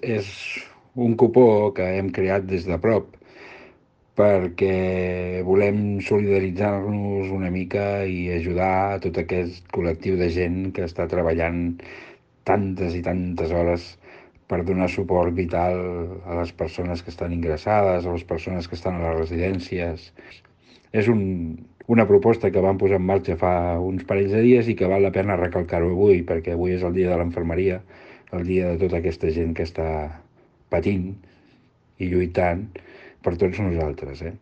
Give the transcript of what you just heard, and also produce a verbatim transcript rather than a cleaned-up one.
És un cupó que hem creat des de prop perquè volem solidaritzar-nos una mica i ajudar a tot aquest col·lectiu de gent que està treballant tantes i tantes hores per donar suport vital a les persones que estan ingressades, a les persones que estan a les residències. És un, una proposta que vam posar en marxa fa uns parells de dies i que val la pena recalcar-ho avui, perquè avui és el dia de l'infermeria, el dia de tota aquesta gent que està patint i lluitant per tots nosaltres, eh?